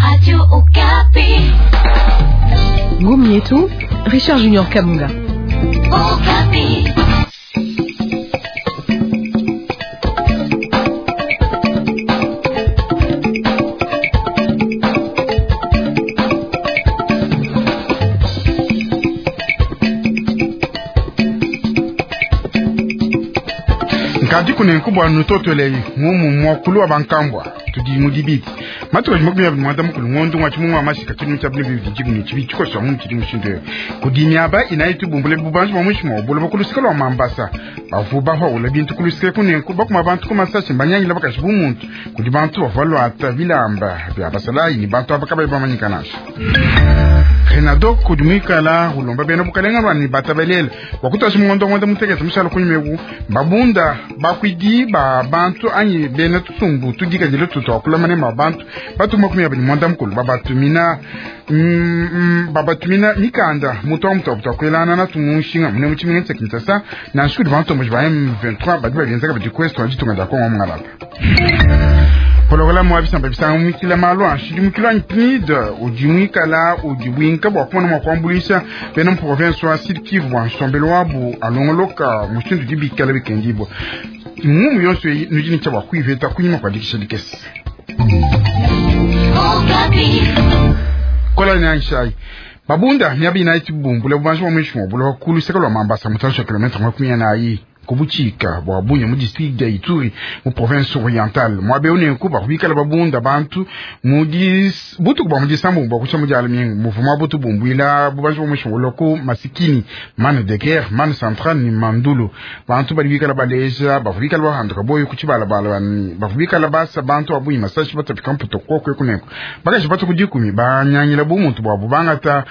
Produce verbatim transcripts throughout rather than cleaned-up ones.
Radio Okapi. Gomietu, Richard Junior Kamunga. Okapi. Nkadi kunenkubwa nutotolei mumu mwakulu wa bankambwa tudi mudibiti matuka makumi abiri mwanda mukulu ngondo ngwa chimungu wa mashika chinu cha bine bibidi jibu chibi chikosa mu chidi mushindo kudimiaba inayi tubumbule bubanji bwa mushimo obulo bakulusika lwa mambasa bavu baho ula bintu kulusika kunenku bakuma bantu kumasashe mbanyangila bakashi bumuntu kudi bantu bavalwa ata bilamba bya basalayi ni bantu abakabayi bamanyikanasha Renado kudumikala ulomba bena bukalenga lwani batabelela wakutasi mungondo ngondo mutekete mushala kunyimeku babunda bakwidi ba bantu anyi bena tusumbu tudikadile tutu akulamane ma bantu batu makumi abiri mwanda mukulu babatumina mm, mm, babatumina mikanda mutu wa mutu akwelana na tumushinga mune muchiminga tsa Kinshasa na nshuri bantu muji ba M vingt-trois badi bagenzaka badi kwesto ditunga dia Kongo mungalata pologolamu wa bisamba bisanga mukila malu anshidi mukila anyi P N I D udi mwikala udi bwinka bwa kumona mwa kuambulisha bena mu province wa Sud Kivu bwa nsombelo wabu alongoloka mushindu udi bikala bikendibwa mumu yonso eyi nudi ne tshia bua kuiveta kunyima kua dikisha dikese Okapi. Kola ni anshai babunda miaba inayi tibumbula bubanji bwa mwishi mwa buloba kuluseka lwa Mambasa mutantshi wa kilometre makumi anayi kubuchika bwa Bunya mu district ya Ituri mu province orientale mwabe unenku bakubikala babunda bantu mu dis butuku bwa mudisambu bwa kucha mudiala mingi muvuma butu bumbwila bubanji bwa mwishi loko masikini mane de guerre mane centrale ni mandulu bantu bali bikala baleja bakubikala bahanduka boyo kuchibalabala bani bakubikala basa bantu abuyi masashi batapika mputo kokwe kunenku bakashi batu kudikumi banyangila bumuntu bwa bubangata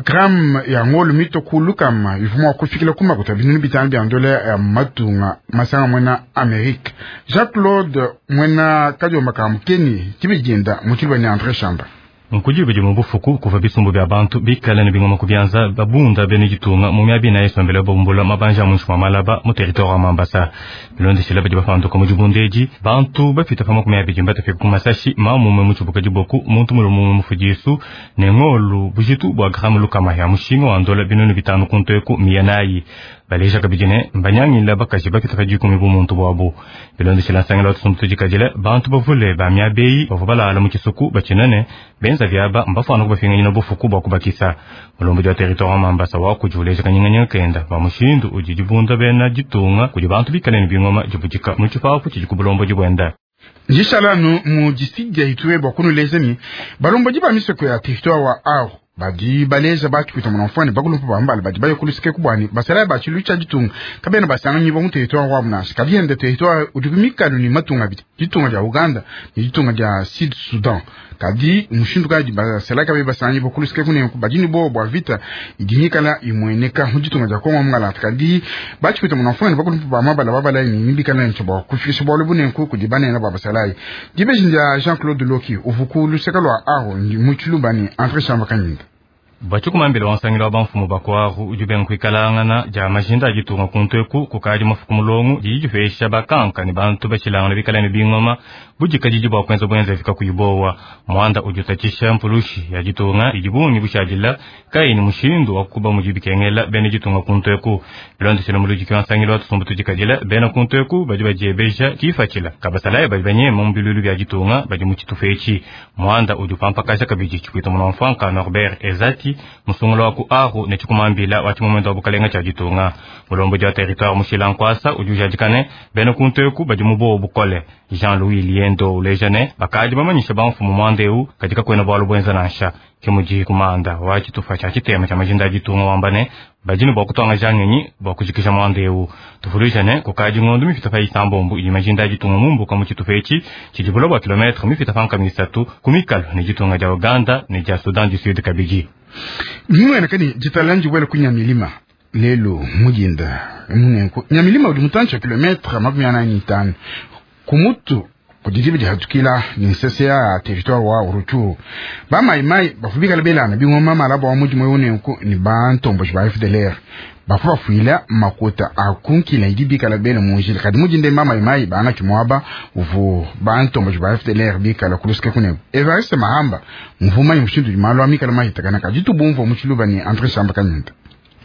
gram ya ngolo mito kulukama ivuma kufikila kuma kutabinu bitano bya ndole ya matunga masanga mwena Amerique Jacques Claude mwena kadiomba ka mukeni tibijinda muchilwa ni André Chamba Nkujibu mu bufuku kuva bisumbu bya bantu bikala ne bingoma kubyanza babunda bene gitunga mu myabi na yesombele babumbula mabanja mu nshwa malaba mu territoire wa Mambasa bilondeshela badi bafanduka mu jibundeji bantu bafita pama ku myabi jimba tafika ku masashi mamumwe mu chibuka jiboku muntu mulumu mufujisu ne ngolu bujitu bwa gramu lukama ya mushinga wa ndola binunu bitanu kunteku miyanayi baleja kabidine mbanyangila bakaji bafita pa jikumi bumuntu bwabo bilondeshela nsangela watusumbu tujikajila bantu bavule ba myabeyi bavua balala mu kisuku bachinane benza vyaba mbafana kubafinganyina bufuku bwa kubakisa mulombo wa territoire wa Mambasa wakujuleja kanyinganyinga kenda ba mushindu udi jibunda bena jitunga kudi bantu bikale ne bingoma jibujika mu tshipapu tshidi ku bulombo jibwenda njishalanu mu district ya Ituri bwa kunuleza ni balombo jiba misoko ya territoire wa Aru badi baleja bachipita munamfwani bakulumpa bambala badi bayokulusike kubwani basala bachilu cha ditunga kabena basanga nyibo mu territoire wa munasha kabiende territoire udi kumikalu ni matunga biti ditunga dia Uganda ni ditunga dia Sud Sudan kadi mushindu kadi basala kabe basanga nyibo kulusike kunenku badini bo bwa vita idinyikala imweneka mu ditunga dia Kongo mungala kadi bachipita munamfwani bakulumpa bamabala babala ni mibikala ncho bwa kufikisha bwalo bunenku kudi banena ba basalayi dibeji ndia Jean-Claude Loki uvuku luseka lwa Aru mu Tshiluba ni André Chamba Kanyinga bachikumambila wansangila wa banfumu bakwaru udi benkuikalangana dia majinda ajitunga kunteku kukadi mafuku mulongo didi dipesha bakanka ne bantu bashilangana bikala ne bingoma budikadidi bwa kwenza bwenza fika kuyibowa mwanda udi utatshisha mpulushi ya ditunga idi bungi bushadila kai ni mushindu wa kuba mudi bikengela bene ditunga kunteku bilondeshela muludiki wansangila wa tusumbu tudikadila bena kunteku badi badiebeja kifatshila kabasalaye badi banyema mu bilulu bia ditunga badi mu tshitufa etshi mwanda udi upampakaja kabidi tshikwita munamfanka Norbert Ezati musungula wa ku Aru ne tshikumambila wa tshimomendo wa bukalenga tshia ditunga mulombo dia territoire mushila nkwasa udi ujadikane bena kunteku badi mu bobo bukole Jean-Louis Liendo ulejane bakadi bamanyisha bamfumu mwandeu katika kwena bwalu bwenza nansha kimudi kumanda wa tshitufa tshia tshitema tshia majinda a ditunga wambane badini bwa kutwanga jangenyi bwa kujikisha mwandeu tufulujane kukadi ngondo mifita pa isambombo ili majinda a ditunga mumbuka mu tshitufa etshi tshidi bulo bwa kilometre mifita pa nkama isatu ku mikalo ne ditunga dia Uganda ne dia Sudan du Sud kabidi Mwene kani jitalanji wele kunya milima lelo mujinda munenko nyamilima udi mutanchi wa kilometre makumi anani tano kumutu Kudi dihatukila ni nsese ya territoire wa Rutshuru. Ba mai mai bafubikala belana bingoma malabo wa mudimu yonenku ni bantombo ba F D L R. Bafu bafuila makota akunkila idi bikala bele munjila kadi mujinde mama mai bana chimwaba uvu bantombo ba F D L R bikala kuluske kune. Evariste Mahamba mvuma ymushindu malo amikala mahitakana kadi tubumvo muchiluba ni Andre Shamba Kanyinda.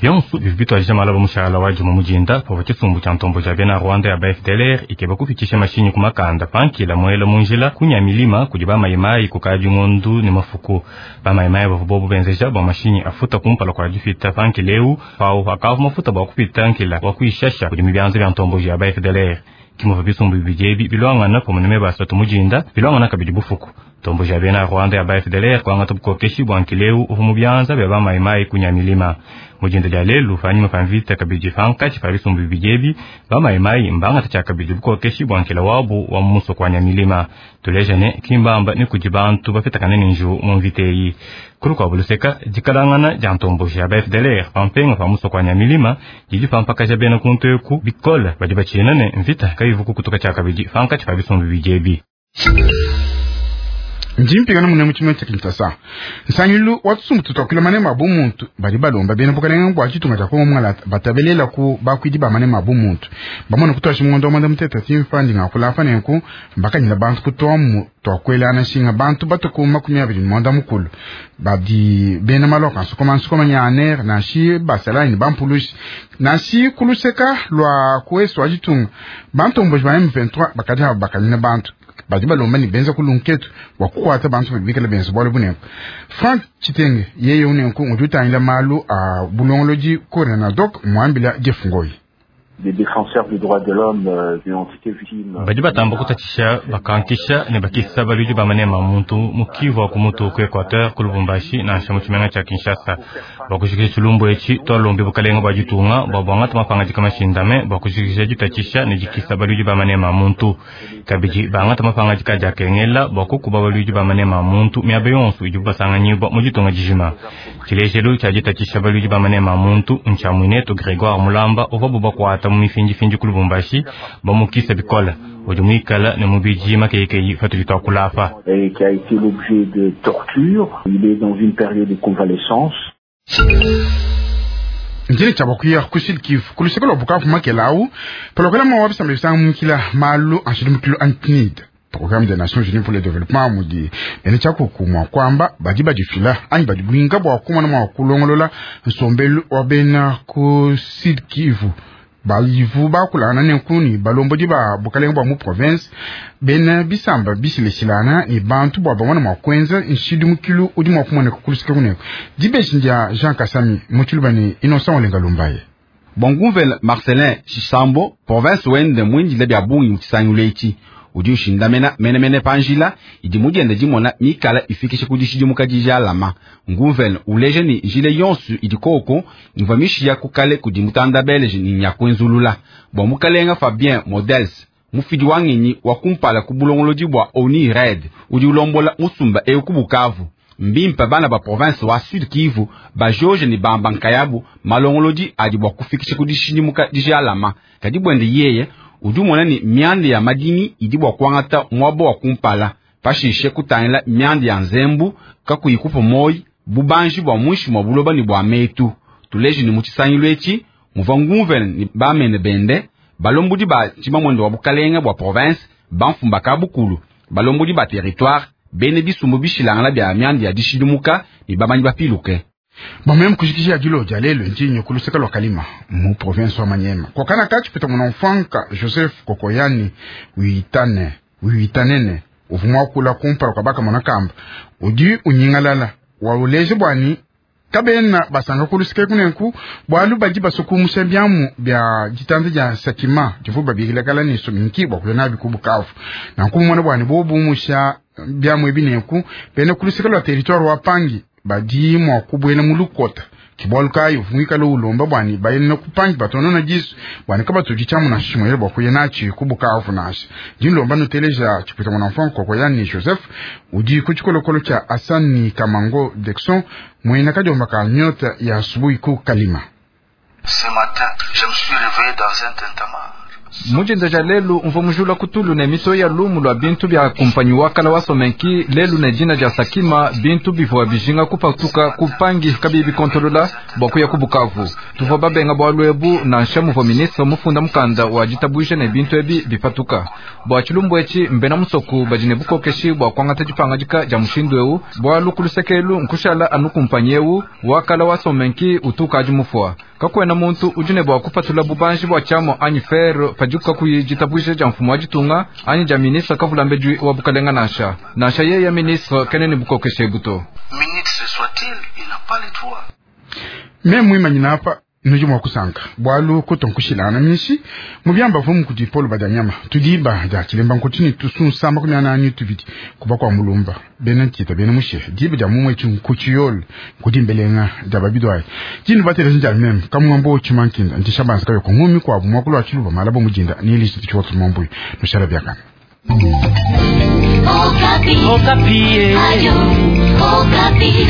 Byonso bivitwa malaba mushala wa juma mujinda pava chisumbu cha ntombo cha bena Rwanda ya ba F D L R ikeba kufikisha mashinyi kumakanda pankila mwela munjila kunya milima kudi ba maimai kukaji ngondu ni mafuku ba maimai bavu bobu benzeja ba mashinyi afuta kumpala kwa jifita pankileu pau akavu mafuta ba kupita nkila wa kuishasha kudi mibyanzo bya ntombo ya ba F D L R kimova bisumbu bijebi bilwangana pamuneme basatu mujinda bilwangana kabidi bufuku tombo ja bena Rwanda ya ba F D L R kwanga tubukokeshi bwa nkileu uvu mubyanza bya ba maimai kunya milima mujinda ja lelu fanyuma pamvita kabidi fankachi pa bisumbu bijebi ba maimai mbanga tacha kabidi bukokeshi bwa nkila wabu wa muso kwa nyamilima tulejane kimbamba ni kujibantu bafita kanene nju mu mviteyi kulu kwa buluseka jikalangana ja ntombo ja ba F D L R pampenga pa muso kwa nyamilima jiji pampaka ja bena kunteku bikola badi bachinane mvita kayivuku kutoka cha kabidi fankachi pa bisumbu bijebi. Njimpigana mune muchimo cha Kinshasa. Nsanyilu watsumbu tutokila mane mabu muntu bali balomba bena bukalenga bwa chitunga cha Kongo mwala batabelela ku bakwidi ba mane mabu muntu. Bamone kutwa shimungondo mwanda muteta timfandi ngakula afane ku mbakanyila bantu kutomu twakwela na shinga bantu batuku makumi abiri mwanda mukulu. Badi bena maloka nsukoma nsukoma nyaner na shi basala ni bampulushi na shi kuluseka lwa kuesu wa chitunga. Bantu mboji ba M vingt-trois bakadi bakanyina bantu. Badi balomba ni benza kulunketu wa kukwata bantu bibikala benza bwalo bunenku. Frank Chitenge yeye unenku ngututangila malu a bulongoloji kore na dok mwambila Jeff Ngoyi. Des défenseurs du droit de l'homme euh, ont été victimes. Badi batamba kutatisha bakankisha ne bakisa baludi ba manema muntu mukivu wa kumutu ku Equateur ku Lubumbashi na nsha muchimenga cha Kinshasa. Bakushikisha chilumbu echi twalombe bukalenga bwa jitunga bwa bwangata mapanga jika mashindame bakushikisha jitatisha ne jikisa baludi ba manema muntu. Kabiji bangata mapanga jika jakengela bakukuba baludi ba manema muntu miabe yonsu ijuba sanganyibwa mujitunga jijima. Chilejelu cha jitatisha baludi ba manema muntu ncha mwineto Grégoire Mulamba ovabu bakwata mu mifinji finji ku Lubumbashi bamukisa bikola ujumwikala ne mubiji makekeyi fatulitwa kulafa. Et qui a été l'objet de torture, il est dans une période de convalescence. Njini cha bakuya kusil kifu kuluseka lwa Bukavu makelau palokela mwa wabisa mbisa mukila malu anshidi mukilo antinid Programme des Nations Unies pour le Développement mudi bene cha kukumwa kwamba badi badifila anyi badi bwinga bwa kumana mwa kulongolola nsombelu wa bena ku Sud Kivu balivu bakulana nenkuni balombodi ba bukalenga bwa mu province bena bisamba bisileshilana ni bantu bwa bamwana mwa kwenza nshidi mukilu udi mwa kumona kukulusika kuneko dibeshi ndia Jean Kasami muchiluba ni Innocent Olenga Lumbaye. Bongumvel Marcelin Chisambo province wende mwinjile bya bungi muchisanyulechi udi ushindamena menemene panjila idi mudiende dimona mikala ifikishe kudishidi mukadija alama ngumvel uleje ni njile yonsu idi koko imva mishiya kukale kudi mutanda belge ni nyakwenzulula bwa mukalenga Fabien Models mufidi wangenyi wa kumpala ku bulongolodi bwa Oni Red udi ulombola musumba eu ku Bukavu mbimpa bana ba province wa Sud Kivu ba George ni bamba nkayabu malongolodi adi bwa kufikisha kudishidi mukadija alama kadi bwende yeye udi umona ni mianda ya madimi idi bwa kuangata mwabo wa kumpala pashishe kutangila mianda ya nzembu kakuyikupa moyi bubanji bwa mwishi mwa buloba ni bwa metu tuleji ni muchisangilu echi muva ngumvene ni bamene bende balombudi ba tshimamwendo wa bukalenga bwa province bamfumba ka bukulu balombudi ba territoire bene bisumbu bishilangala bya mianda ya dishidimuka ni bamanyi bapiluke. Bamwe kushikisha jilo jalelo njinyo kuluseka lwa Kalima mu province wa Manyema. Kwa kana kachi pita mwana mfanka Joseph Kokoyani uitane uitanene uvumwa kula kumpala kwa baka mwana kamba udi unyingalala wa uleje bwani kabena basanga kuluseka kunenku bwalu baji basuku musembyamu bya jitanze ja sakima jivuba bigilakala ni suminki bwa kulena bikubukavu na nkumona bwani bobu musha byamu ebinenku bene kuluseka lwa territoire wa Pangi badi mwa kubwela mulukota kibwaluka yuvungika lo ulomba bwani bayene kupangi batono na jisu bwani kaba tuji chamu na shimo yele bwakuye nachi kubukavu nashi jinlomba nuteleja chipita mwana mfanko kwa yani Joseph udi kuchikolokolo cha Asani Kamango Dexon mwena kajomba ka nyota ya asubuhi ku Kalima. Ce matin, je me suis réveillé dans un tintamarre. Mujinza ja lelu mvua mujula kutulu ne miso ya lumu lwa bintu bya kumpanyi wakala wa Somenki lelu ne jina ja Sakima bintu bivua bijinga kupatuka kupangi kabibi kontolola bwa kuya ku Bukavu. Tuvua babenga bwa lwebu na nsha muvua ministre mufunda mukanda wa ditabwisha ne bintu ebi bipatuka. Bwa chilumbu echi mbena musoku bajine bukokeshi bwa kwangata dipangadika ja mushindu eu bwa lukulusekelu nkushala anu kumpanyi eu wakala wa Somenki utuka aji mufua. Kakwena muntu ujine bwa kupatula bubanji bwa chamo anyi fer pajuka kuyijitabwisha ja mfumo wa ditunga anyi ja ministre kavulambe wa bukalenga nasha nasha yeye ministre kenene bukokeshe buto. Ministre soit-il, il n'a pas les droits. Me mwimanyina hapa nuju mwa kusanka bwalu kutonkushilana mishi mubyamba vumu kudi Paul Badanyama tudiba ja chilemba nkutini tusunsa makumi anani tubidi kuba kwa mulumba bena ntita bena mushe diba ja mumwe nkuchiyol kudi mbelenga ja babidwai jinu batele nja mem kamwambo chimankinda ntishabanza kayo kungumi kwa bumwakulu achiluba malabo mujinda nili chichoto mambuyi nushara byakana. Okapi. Okapi. Ayo, Okapi.